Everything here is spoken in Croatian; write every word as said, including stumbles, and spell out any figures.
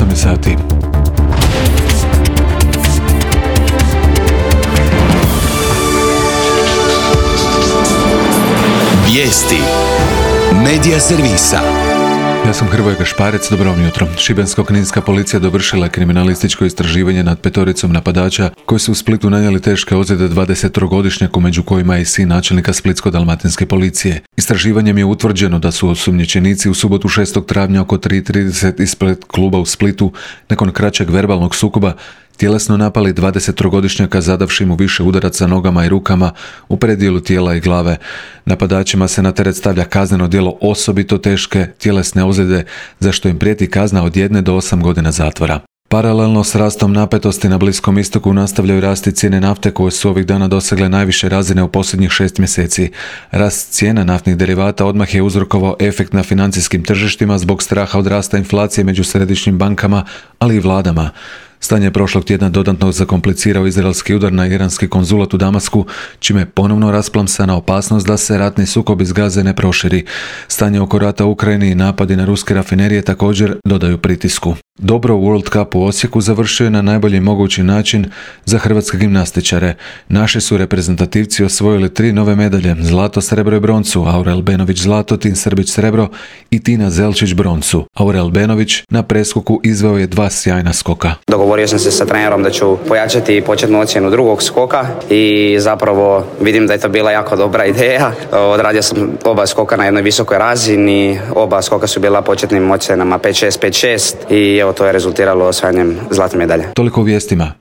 osam je sati. Vijesti Medija servisa. Ja sam Hrvoje Gašparec, dobro vam jutro. Šibensko-kninska policija dovršila je kriminalističko istraživanje nad petoricom napadača koji su u Splitu nanijeli teške ozljede dvadesettrogodišnjaku, među kojima je i sin načelnika Splitsko-dalmatinske policije. Istraživanjem je utvrđeno da su osumnjičenici u subotu šestog travnja oko tri trideset ispred kluba u Splitu nakon kraćeg verbalnog sukoba tjelesno napali dvadesettrogodišnjaka zadavši mu više udaraca nogama i rukama u predijelu tijela i glave. Napadačima se na teret stavlja kazneno djelo osobito teške tjelesne ozljede za što im prijeti kazna od jedne do osam godina zatvora. Paralelno s rastom napetosti na Bliskom istoku nastavljaju rasti cijene nafte koje su ovih dana dosegle najviše razine u posljednjih šest mjeseci. Rast cijena naftnih derivata odmah je uzrokovao efekt na financijskim tržištima zbog straha od rasta inflacije među središnjim bankama, ali i vladama. Stanje je prošlog tjedna dodatno zakomplicirao izraelski udar na iranski konzulat u Damasku, čime je ponovno rasplamsana opasnost da se ratni sukob iz Gaze ne proširi. Stanje oko rata u Ukrajini i napadi na ruske rafinerije također dodaju pritisku. Dobro u World Cup u Osijeku završio je na najbolji mogući način za hrvatske gimnastičare. Naši su reprezentativci osvojili tri nove medalje, zlato, srebro i broncu, Aurel Benović zlato, Tin Srbić srebro i Tina Zelčić broncu. Aurel Benović na preskoku izveo je dva sjajna skoka. Dogovorio sam se sa trenerom da ću pojačati početnu ocjenu drugog skoka i zapravo vidim da je to bila jako dobra ideja. Odradio sam oba skoka na jednoj visokoj razini, oba skoka su bila početnim ocjenama pet šest pet šest i evo to je rezultiralo osvajanjem zlatne medalje. Toliko u vijestima.